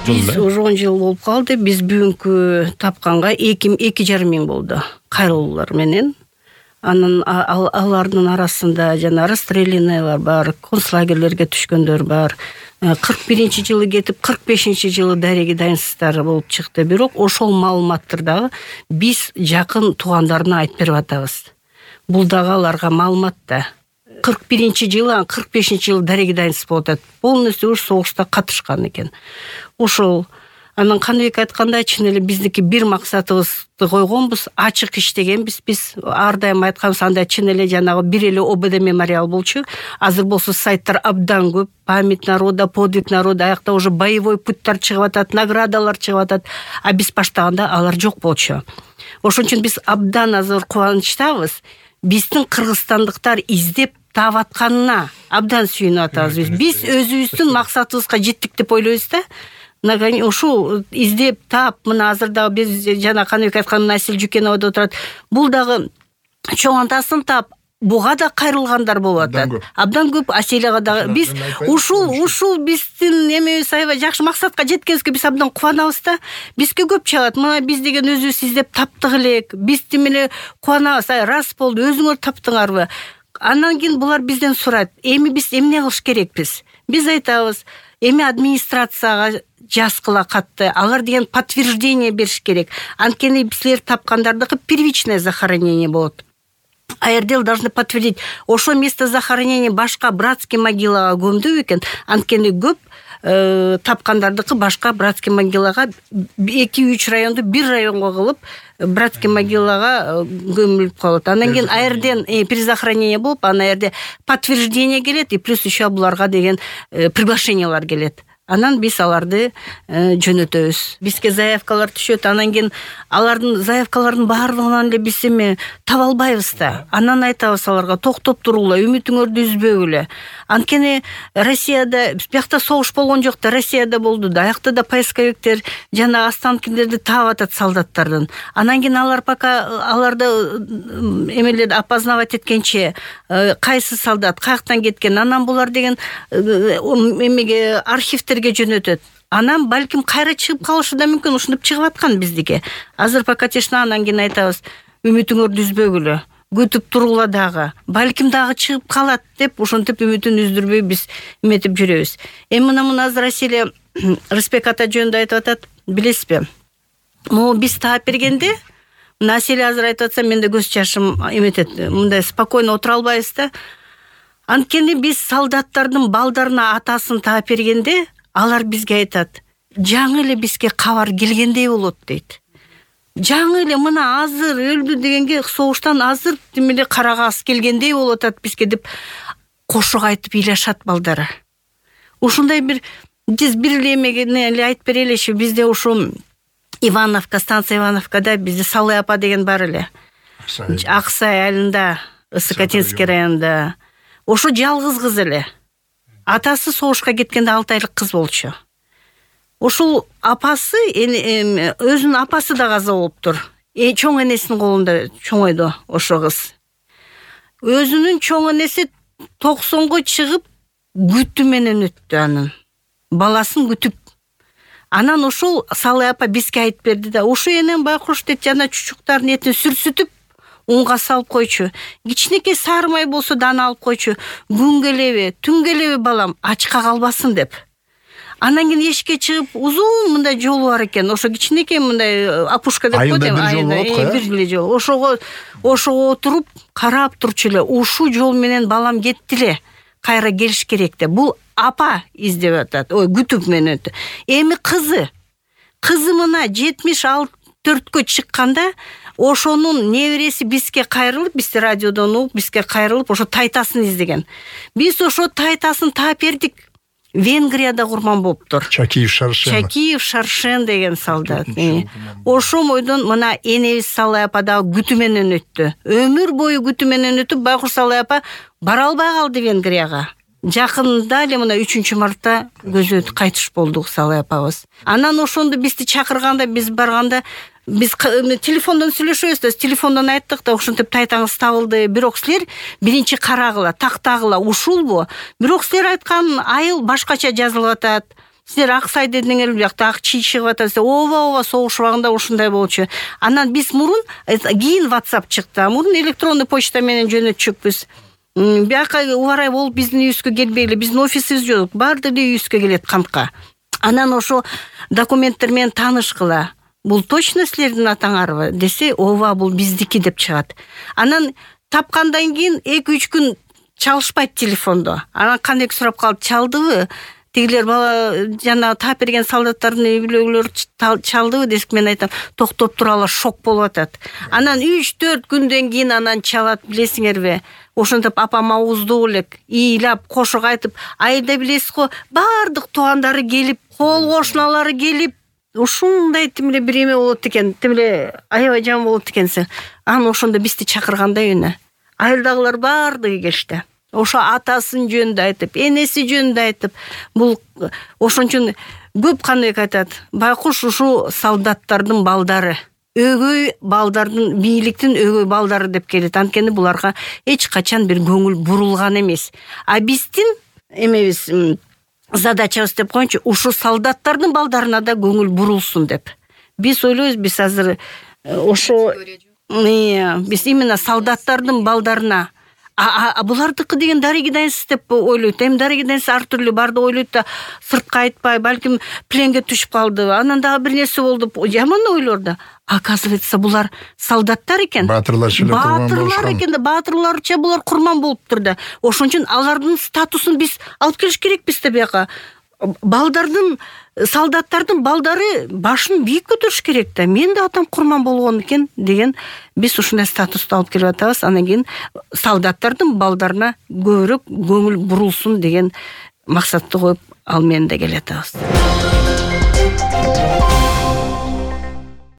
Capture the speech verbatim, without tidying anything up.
Биз уже он жыл болуп калды. Биз бүгүнкү тапканга эки жарым миң болду кайрылуулар менен. Анын алардын арасында жана расстрелянныйлар бар, концлагерлерге түшкөндөр бар. кырк биринчи жылы кетип, кырк бешинчи жылы дареги дайынсыздар болуп чыкты. Бирок ошол маалыматтарды дагы биз жакын туугандарына айтып берип атабыз. Бул дагы аларга маалымат да. кырк биринчи жылы, кырк бешинчи жылы дареги дайынсыз болуп атат. Полностью уж согушта катышкан экен. Ошол анан Каныбек айткандай, чын эле биздики бир максатыбызды койгонбуз, ачык иштегенбиз. Биз ар дайым айтканбыз, андай чын эле жанагы бир эле ОБД мемориал болчу. Азыр болсо сайттар абдан көп. Память народа, подвиг народа, аякта уже боевой путтар чыгып атат, наградалар чыгып атат. А биз баштаганда алар жок болчу. Ошон үчүн биз абдан азыр кубанычтабыз. Биздин кыргызстандыктар издеп таап атканына абдан сүйүнүп атабыз. Биз биз өзүбүздүн максатыбызга жеттик деп ойлойбуз да. Ушул издеп таап, мына азыр дагы биз жана Каныбек айткан Асель Жукенова деп турат. Бул дагы чоң антасын таап, буга да кайрылгандар болуп атат. Абдан көп. Аселяга дагы биз ушул ушул биздин эмебиз аябай жакшы максатка жеткенибизге биз абдан кубанабыз да. Бизге көп чыгат. Мына биз деген өзүбүз издеп таптык элек. Биз тим эле кубанабыз. Ай, рас болду, өзүңөр таптыңарбы? Андан кийин булар бизден сурайт. Эми биз эмне кылыш керекпиз? Биз айтабыз, эми администрацияга жазгыла катты. Алар деген подтверждение бериш керек. Анткени силер тапкандардыкы первичное захоронение болот. АРД должны подтвердить. Ошо место захоронения башка братский могилага көмдү экен. Анткени көп э, тапкандардыкы башка братский могилага эки үч районду бир районго кылып братский могилага көмүлүп калат. Андан кийин АРДен э, перезахоронение болуп, анан АРД подтверждение келет и плюс еще буларга деген э, приглашениялар келет. Анан биз аларды э, жөнөтөбүз. Бизге заявкалар түшөт. Анан кийин алардын заявкалардын баардыгынан эле биз эми таба албайбыз да. Анан айтабыз аларга, токтоп туругула, үмүтүңөрдү үзбөгүлө. Анткени Россияда биякта согуш болгон жок да, Россияда болду да. Аякта да поисковиктер жана останкилерди таап атат солдаттардын. Анан кийин алар пока аларды эмелер опознавать эткенче кайсы солдат каяктан кеткен, анан булар деген эмеге архивтерге жөнөтөт. Анан балким кайра чыгып калышы да мүмкүн, ушинтип чыгып аткан биздике. Азыр пока тешна, анан кийин айтабыз, үмүтүңөрдү үзбөгүлө, күтүп туругула дагы. Балким дагы чыгып калат деп ушинтип үмүтүн үздүрбөй биз эметип жүрөбүз. Эми мына мына азыр Аселя Рысбек ата жөнүндө айтып атат, билесизби? Могу биз таап бергенде, мына Аселя азыр айтып атса, менде көз жашым эметет. Мындай спокойно отура албайбыз да. Анткени биз солдаттардын балдарына атасын таап бергенде, алар бизге айтат, жаңы эле бизге кабар келгендей болот дейт. Жаңы эле мына азыр өлдү дегенге, согуштан азыр тим эле карагас келгендей болуп атат бизге деп кошук айтып ыйлашат балдары. Ушундай бир биз бир эле эмени эле айтып береличи, бизде ушу Ивановка, станция Ивановкада бизде Салый апа деген бар эле. Аксай айылында, Ысыкатинский районунда. Ошо жалгыз кыз эле. Атасы согушка кеткенде алты айлык кыз болчу. Ошол апасы, өзүнүн апасы да каза болуптур. Э, чоң энесинин колунда чоңойду ошо кыз. Өзүнүн чоң энеси токсонго чыгып күтүү менен өттү анын. Баласын күтүп. Анан ошол Салый апа бизге айтып берди да, ошо энем байкуш дейт, жана чучуктардын этин сүрсүтүп унга салып койчу. Кичинекей сары май болсо да аны алып койчу. Күн келеби, түн келеби балам, ачка калбасын деп. Анан кийин эшикке чыгып, узун мындай жолу бар экен. Ошо кичинекей мындай опушка деп коет, айында бир эле жол. Ошого ошого отуруп карап турчу эле. Ушул жол менен балам кетти эле. Кайра келиш керек деп. Бул апа издеп атат. Ой, күтүп менен өттү. Эми кызы. Кызы мына жетимиш төрткө чыкканда ошонун небереси бизге кайрылып, бизди радиодон угуп, бизге кайрылып, ошо тайтасын издеген. Биз ошо тайтасын таап бердик. Венгрияда курман болуптур. Чакиев Шаршен. Чакиев Шаршен деген солдат. Ошо мойдон мына энебиз Салый апа да күтүү менен өттү. Өмүр бою күтүү менен өтүп, байкуш Салый апа бара албай калды Венгрияга. Жакында эле мына үчүнчү мартта көзү кайтыш болдук Салый апабыз. Анан ошондо бизди чакырганда, биз барганда, биз телефондон сүйлөшөбүз да, телефондон айттык да, ушинтип тайтаңыз табылды. Бирок силер биринчи карагыла, тактагыла ушулбу? Бирок силер айткан айыл башкача жазылып атат. силер Аксай дедиңер, биякта ак чий чыгып атат. Ооба, ооба, согуш убагында ушундай болчу. Анан биз мурун кийин WhatsApp чыкты. Мурун электронный почта менен жөнөтчүкпүз. Бияка убарай болуп биздин үйүбүзгө келбейли. Биздин офисибиз жок. Баардыгы үйүбүзгө келет кантка. Анан ошо документтер менен таанышкыла. Бул точно силердин атаңарбы десе, ооба, бул биздики деп чыгат. Анан тапкандан кийин эки үч күн чалышпайт телефондо. Анан кандайкы сурап калып, чалдыбы? Тигилер бала жана таап берген солдаттардын үйлөгүлөрү чалдыбы десек, мен айтам, токтоп туралы, шок болуп атат. Анан үч төрт күндөн кийин анан чалат, билесиңерби? Ошентип апам ауыздуу элек, ыйлап, кошок айтып, айда билесиз го, баардык туугандары келип, кол кошуналары келип, ушундай тимле бир эме болот экен, тимле аябай жаман болот экенсиң. Анан ошондо бизди чакыргандай үйүнө. Айылдагылар баардыгы келишти. Ошо атасын жөнүндө айтып, энеси жөнүндө айтып, бул ошон үчүн көп кандай айтат. Байкуш ушу солдаттардын балдары, өгөй балдардын, бийликтин өгөй балдары деп келет. Анткени буларга эч качан бир көңүл бурулган эмес. А биздин эмебиз, задачабыз деп коеюнчу, ушу солдаттардын балдарына да көңүл бурулсун деп. Биз ойлойбуз, биз азыр ошо биз именно солдаттардын балдарына, а булардыкы деген дарыгидайсыз деп ойлойт. Эми дарыгидайсыз ар түрлүү барды ойлойт да, сыртка айтпай, балким пленге түшүп калды, анан дагы бир нерсе болду, жаман ойлор да. Оказывается, булар солдаттар экен. Баатырларча эле курман болушкан. Баатырлар экен да, баатырларча булар курман болуптур да. Ошон үчүн алардын статусун биз алып келиш керекпиз да бияка. Балдардын, солдаттардын балдары башын бийик көтөрүш керек да. Мен да атам курман болгон экен деген биз ушундай статусту алып келип атабыз. Анан кийин солдаттардын балдарына көбүрөөк көңүл бурулсун деген максатты коюп, ал менен да келе атабыз.